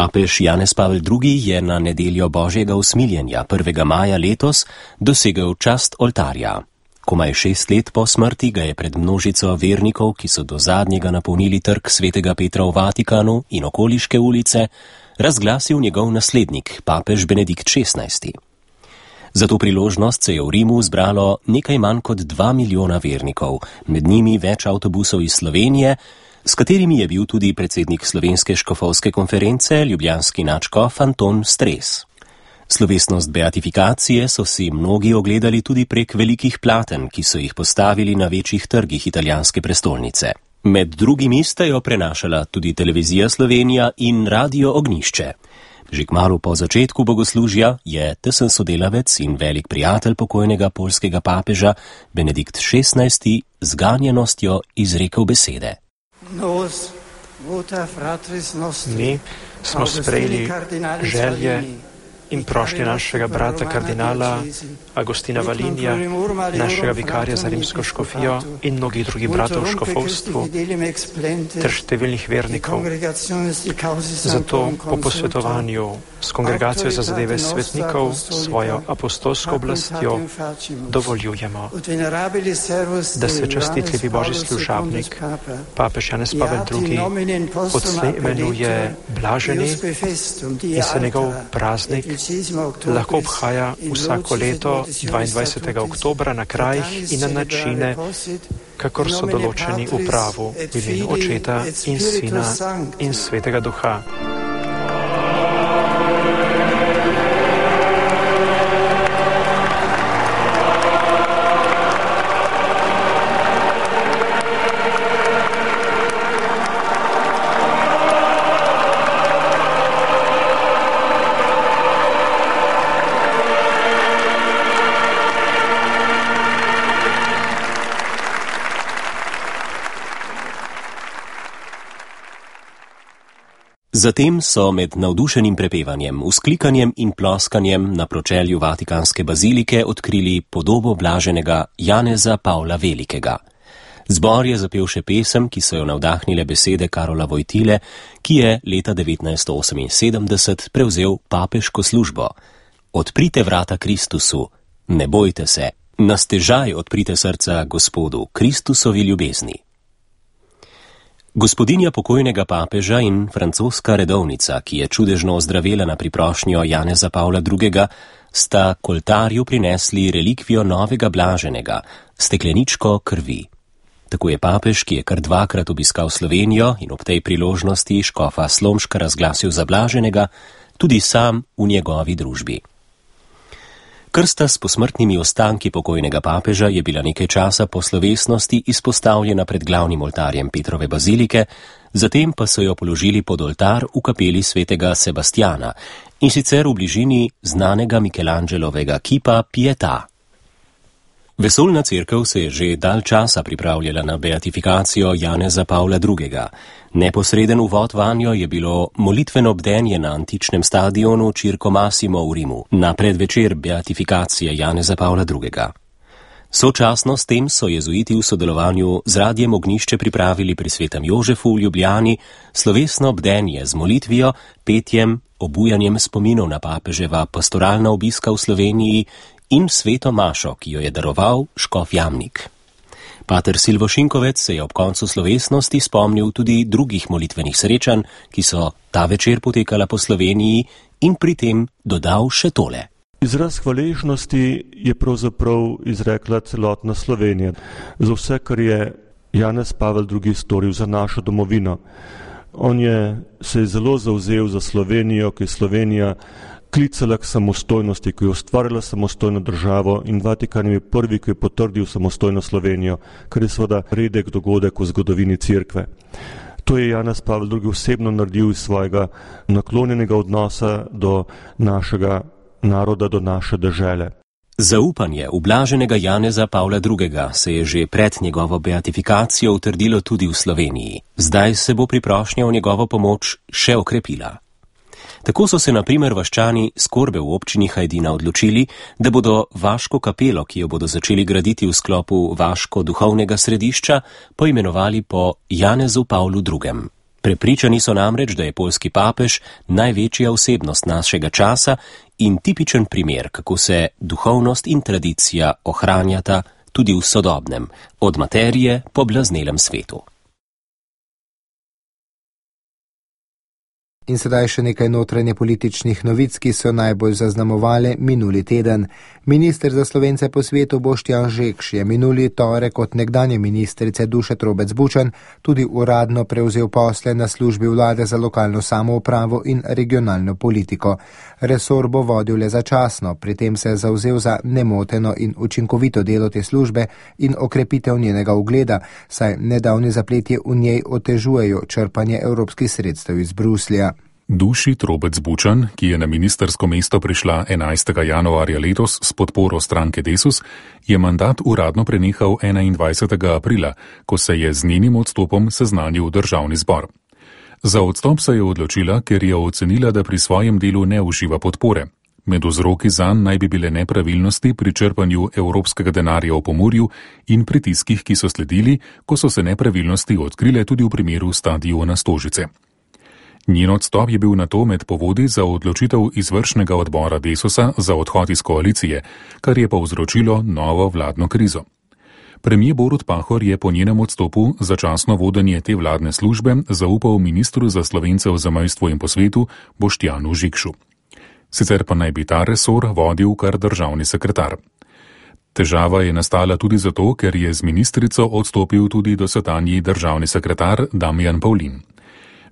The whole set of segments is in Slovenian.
Papež Janez Pavel II. Je na nedeljo Božjega usmiljenja 1. maja letos dosegel čast oltarja. Komaj 6 let po smrti ga je pred množico vernikov, ki so do zadnjega napolnili trg svetega Petra v Vatikanu in okoliške ulice, razglasil njegov naslednik, papež Benedikt XVI. Za to priložnost se je v Rimu zbralo nekaj manj kot 2 milijona vernikov, med njimi več avtobusov iz Slovenije, s katerimi je bil tudi predsednik Slovenske škofovske konference, ljubljanski nadškof Anton Stres. Slovesnost beatifikacije so si mnogi ogledali tudi prek velikih platen, ki so jih postavili na večjih trgih italijanske prestolnice. Med drugimi sta jo prenašala tudi Televizija Slovenija in Radio Ognjišče. Že kmalu po začetku bogoslužja je tesen sodelavec in velik prijatelj pokojnega poljskega papeža Benedikt XVI. Z ganjenostjo izrekel besede. Mi smo sprejeli želje in prošnje našega brata kardinala Agostina Valinija, našega vikarja za rimsko škofijo in mnogih drugih bratov v škofovstvu ter številnih vernikov. Zato po posvetovanju s Kongregacijo za zadeve svetnikov, svojo apostolsko oblastjo dovoljujemo, da se častitljivi Božji služabnik, papež Janez Pavel II. Odslej imenuje blaženi in se njegov praznik lahko obhaja vsako leto 22. oktobra na krajih in na načine, kakor so določeni v pravu, v imenu Očeta in Sina in Svetega Duha. Zatem so med navdušenim prepevanjem, vzklikanjem in ploskanjem na pročelju Vatikanske bazilike odkrili podobo blaženega Janeza Pavla Velikega. Zbor je zapel še pesem, ki so jo navdahnile besede Karola Vojtile, ki je leta 1978 prevzel papeško službo. Odprite vrata Kristusu, ne bojte se, na stežaj odprite srca Gospodu, Kristusovi ljubezni. Gospodinja pokojnega papeža in francoska redovnica, ki je čudežno ozdravela na priprošnjo Janeza Pavla II., sta k oltarju prinesli relikvijo novega blaženega, stekleničko krvi. Tako je papež, ki je kar 2-krat obiskal Slovenijo in ob tej priložnosti škofa Slomška razglasil za blaženega, tudi sam v njegovi družbi. Krsta s posmrtnimi ostanki pokojnega papeža je bila nekaj časa po slovesnosti izpostavljena pred glavnim oltarjem Petrove bazilike, zatem pa so jo položili pod oltar v kapeli svetega Sebastjana, in sicer v bližini znanega Michelangelovega kipa Pietà. Vesoljna cerkev se je že dalj časa pripravljala na beatifikacijo Janeza Pavla II. Neposreden uvod vanjo je bilo molitveno bdenje na antičnem stadionu Circo Massimo v Rimu, na predvečer beatifikacije Janeza Pavla II. Sočasno s tem so jezuiti v sodelovanju z Radiem Ognjišče pripravili pri Svetem Jožefu v Ljubljani slovesno bdenje z molitvijo, petjem, obujanjem spominov na papeževa pastoralna obiska v Sloveniji in sveto mašo, ki jo je daroval škof Jamnik. Pater Silvo Šinkovec se je ob koncu slovesnosti spomnil tudi drugih molitvenih srečanj, ki so ta večer potekala po Sloveniji, in pri tem dodal še tole. Izraz hvaležnosti je pravzaprav izrekla celotna Slovenija za vse, kar je Janez Pavel II. Storil za našo domovino. On se je zelo zavzel za Slovenijo, ki je Slovenija klicala k samostojnosti, ki je ustvarila samostojno državo, in Vatikan je prvi, ki je potrdil samostojno Slovenijo, kar je seveda redek dogodek v zgodovini cerkve. To je Janez Pavel II. Osebno naredil iz svojega naklonjenega odnosa do našega naroda, do naše dežele. Zaupanje v blaženega Janeza Pavla II. Se je že pred njegovo beatifikacijo utrdilo tudi v Sloveniji. Zdaj se bo priprošnja v njegovo pomoč še okrepila. Tako so se na primer vaščani Skorbe v občini Hajdina odločili, da bodo vaško kapelo, ki jo bodo začeli graditi v sklopu vaško duhovnega središča, poimenovali po Janezu Pavlu II. Prepričani so namreč, da je poljski papež največja osebnost našega časa in tipičen primer, kako se duhovnost in tradicija ohranjata tudi v sodobnem, od materije po blaznelem svetu. In sedaj še nekaj notranje političnih novic, ki so najbolj zaznamovale minuli teden. Minister za Slovence po svetu Boštjan Žekš je minuli torek od nekdanje ministrice Duše Trobec Bučan tudi uradno prevzel posle na službi vlade za lokalno samoupravo in regionalno politiko. Resor bo vodil le začasno, pri tem se je zavzel za nemoteno in učinkovito delo te službe in okrepitev njenega ugleda, saj nedavni zapleti v njej otežujejo črpanje evropskih sredstev iz Bruslja. Duši Trobec Bučan, ki je na ministersko mesto prišla 11. januarja letos s podporo stranke Desus, je mandat uradno prenehal 21. aprila, ko se je z njenim odstopom seznanil državni zbor. Za odstop se je odločila, ker je ocenila, da pri svojem delu ne uživa podpore. Med vzroki zanj naj bi bile nepravilnosti pri črpanju evropskega denarja v Pomurju in pritiskih, ki so sledili, ko so se nepravilnosti odkrile tudi v primeru stadiona Stožice. Njen odstop je bil nato med povodi za odločitev izvršnega odbora Desusa za odhod iz koalicije, kar je povzročilo novo vladno krizo. Premijer Borut Pahor je po njenem odstopu začasno vodenje te vladne službe zaupal ministru za Slovence v zamejstvu in po svetu Boštjanu Žekšu. Sicer pa naj bi ta resor vodil kar državni sekretar. Težava je nastala tudi zato, ker je z ministrico odstopil tudi dosedanji državni sekretar Damjan Pavlin.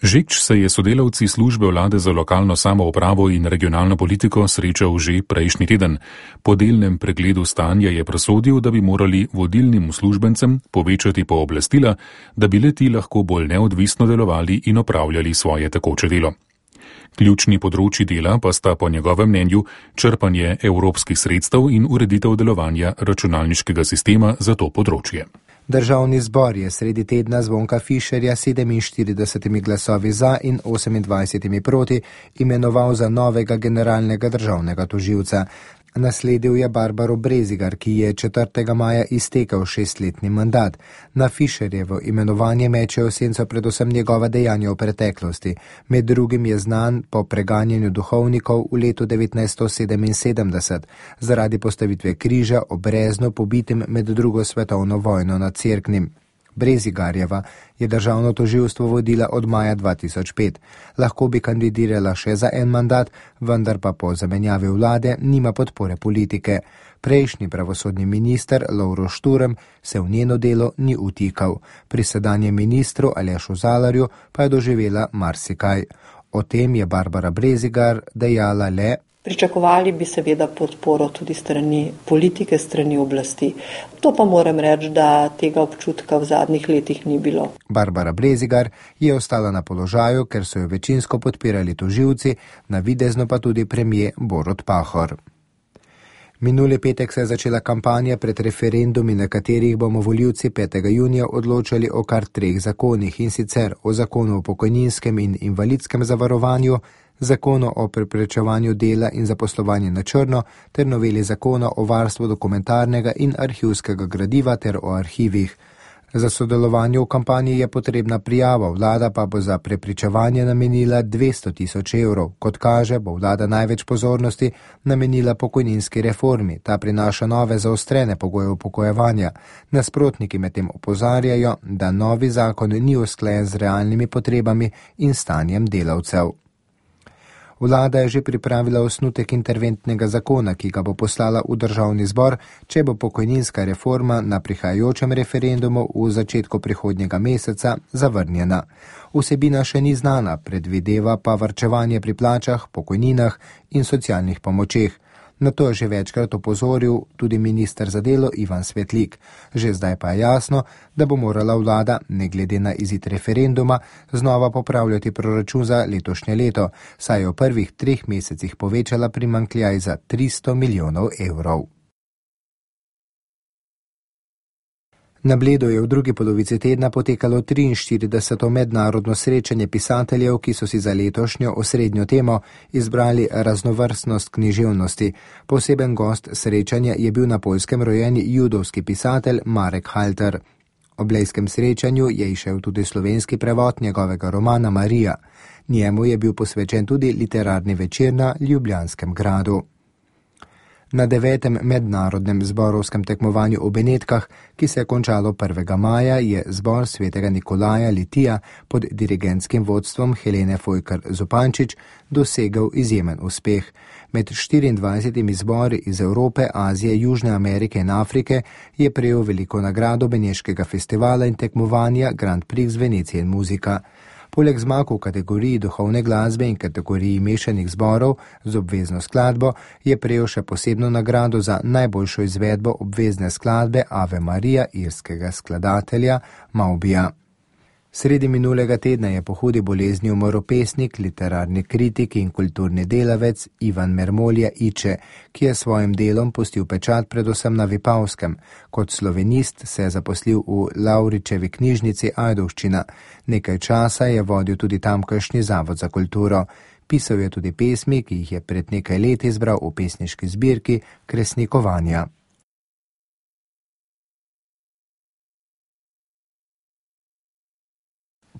Žekš se je sodelavci službe vlade za lokalno samoupravo in regionalno politiko srečal že prejšnji teden. Po delnem pregledu stanja je presodil, da bi morali vodilnim uslužbencem povečati pooblastila, da bi le ti lahko bolj neodvisno delovali in opravljali svoje tekoče delo. Ključni področji dela pa sta po njegovem mnenju črpanje evropskih sredstev in ureditev delovanja računalniškega sistema za to področje. Državni zbor je sredi tedna Zvonka Fišerja 47 glasovi za in 28 proti imenoval za novega generalnega državnega tožilca. Nasledil je Barbaro Brezigar, ki je 4. maja iztekel 6-letni mandat. Na Fišerjevo imenovanje mečejo senco predvsem njegova dejanja v preteklosti. Med drugim je znan po preganjanju duhovnikov v letu 1977 zaradi postavitve križa ob Breznu pobitim med drugo svetovno vojno nad Cerknim. Brezigarjeva je državno tožilstvo vodila od maja 2005. Lahko bi kandidirala še za en mandat, vendar pa po zamenjavi vlade nima podpore politike. Prejšnji pravosodni minister Lovro Šturm se v njeno delo ni utikal. Pri sedanjem ministru Alešu Zalarju pa je doživela marsikaj. O tem je Barbara Brezigar dejala le: Pričakovali bi seveda podporo tudi strani politike, strani oblasti. To pa moram reči, da tega občutka v zadnjih letih ni bilo. Barbara Brezigar je ostala na položaju, ker so jo večinsko podpirali tožilci, navidezno pa tudi premijer Borut Pahor. Minuli petek se je začela kampanja pred referendumi, na katerih bomo volivci 5. junija odločali o kar 3 zakonih, in sicer o zakonu o pokojninskem in invalidskem zavarovanju, zakonu o preprečevanju dela in zaposlovanja na črno ter noveli zakona o varstvu dokumentarnega in arhivskega gradiva ter o arhivih. Za sodelovanje v kampanji je potrebna prijava, vlada pa bo za prepričevanje namenila 200 000 evrov. Kot kaže, bo vlada največ pozornosti namenila pokojninski reformi. Ta prinaša nove zaostrene pogoje upokojevanja. Nasprotniki medtem opozarjajo, da novi zakon ni usklajen z realnimi potrebami in stanjem delavcev. Vlada je že pripravila osnutek interventnega zakona, ki ga bo poslala v državni zbor, če bo pokojninska reforma na prihajajočem referendumu v začetku prihodnjega meseca zavrnjena. Vsebina še ni znana, predvideva pa varčevanje pri plačah, pokojninah in socialnih pomočeh. Na to je že večkrat opozoril tudi minister za delo Ivan Svetlik. Že zdaj pa je jasno, da bo morala vlada, ne glede na izid referenduma, znova popravljati proračun za letošnje leto, saj je v prvih 3 mesecih povečala primanjkljaj za 300 milijonov evrov. Na Bledu je v drugi polovici tedna potekalo 43. mednarodno srečanje pisateljev, ki so si za letošnjo osrednjo temo izbrali raznovrstnost književnosti. Poseben gost srečanja je bil na Poljskem rojeni judovski pisatelj Marek Halter. Ob blejskem srečanju je izšel tudi slovenski prevod njegovega romana Marija. Njemu je bil posvečen tudi literarni večer na Ljubljanskem gradu. Na 9. mednarodnem zborovskem tekmovanju v Benetkah, ki se je končalo 1. maja, je zbor svetega Nikolaja Litija pod dirigentskim vodstvom Helene Fojkar-Zupančič dosegel izjemen uspeh. Med 24 zbori iz Evrope, Azije, Južne Amerike in Afrike je prejel veliko nagrado beneškega festivala in tekmovanja Grand Prix Venecije in muzika. Poleg zmag v kategoriji duhovne glasbe in kategoriji mešanih zborov z obvezno skladbo je prejel še posebno nagrado za najboljšo izvedbo obvezne skladbe Ave Marija irskega skladatelja Maubija. Sredi minulega tedna je po hudi bolezni umrl pesnik, literarni kritik in kulturni delavec Ivan Mermolje Iče, ki je svojim delom pustil pečat predvsem na Vipavskem. Kot slovenist se je zaposlil v Lavričevi knjižnici Ajdovščina. Nekaj časa je vodil tudi tamkajšnji Zavod za kulturo. Pisal je tudi pesmi, ki jih je pred nekaj leti izbral v pesniški zbirki Kresnikovanja.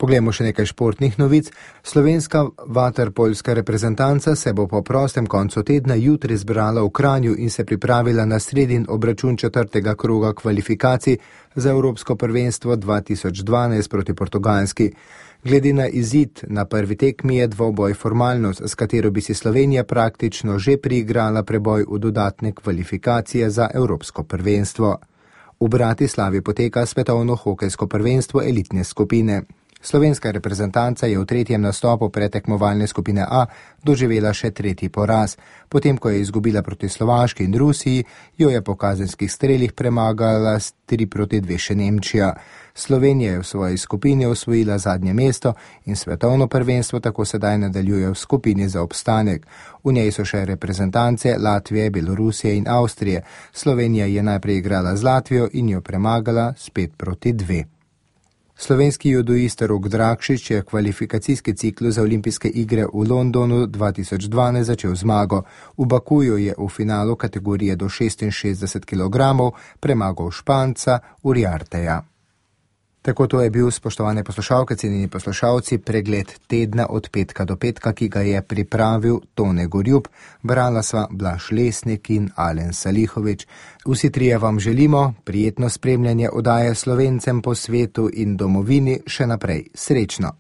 Poglejmo še nekaj športnih novic. Slovenska vaterpolska reprezentanca se bo po prostem koncu tedna jutri zbrala v Kranju in se pripravila na sredin obračun 4. kroga kvalifikacij za Evropsko prvenstvo 2012 proti Portugalski. Glede na izid na prvi tekmi je dvoboj formalnost, s katero bi si Slovenija praktično že priigrala preboj v dodatne kvalifikacije za Evropsko prvenstvo. V Bratislavi poteka svetovno hokejsko prvenstvo elitne skupine. Slovenska reprezentanca je v tretjem nastopu pretekmovalne skupine A doživela še tretji poraz. Potem, ko je izgubila proti Slovaški in Rusiji, jo je po kazenskih strelih premagala s 3-2 še Nemčija. Slovenija je v svoji skupini osvojila zadnje mesto in svetovno prvenstvo tako sedaj nadaljuje v skupini za obstanek. V njej so še reprezentance Latvije, Belorusije in Avstrije. Slovenija je najprej igrala z Latvijo in jo premagala s 5-2. Slovenski judoist Rok Drakšič je kvalifikacijski ciklus za olimpijske igre v Londonu 2012 začel zmago. V Bakuju je v finalu kategorije do 66 kg premagal Španca Uriarteja. Tako to je bil, spoštovane poslušalke, cenjeni poslušalci, pregled tedna od petka do petka, ki ga je pripravil Tone Gorjub, brala sva Blaž Lesnik in Alen Salihovič. Vsi trije vam želimo prijetno spremljanje oddaje Slovencem po svetu in domovini še naprej. Srečno!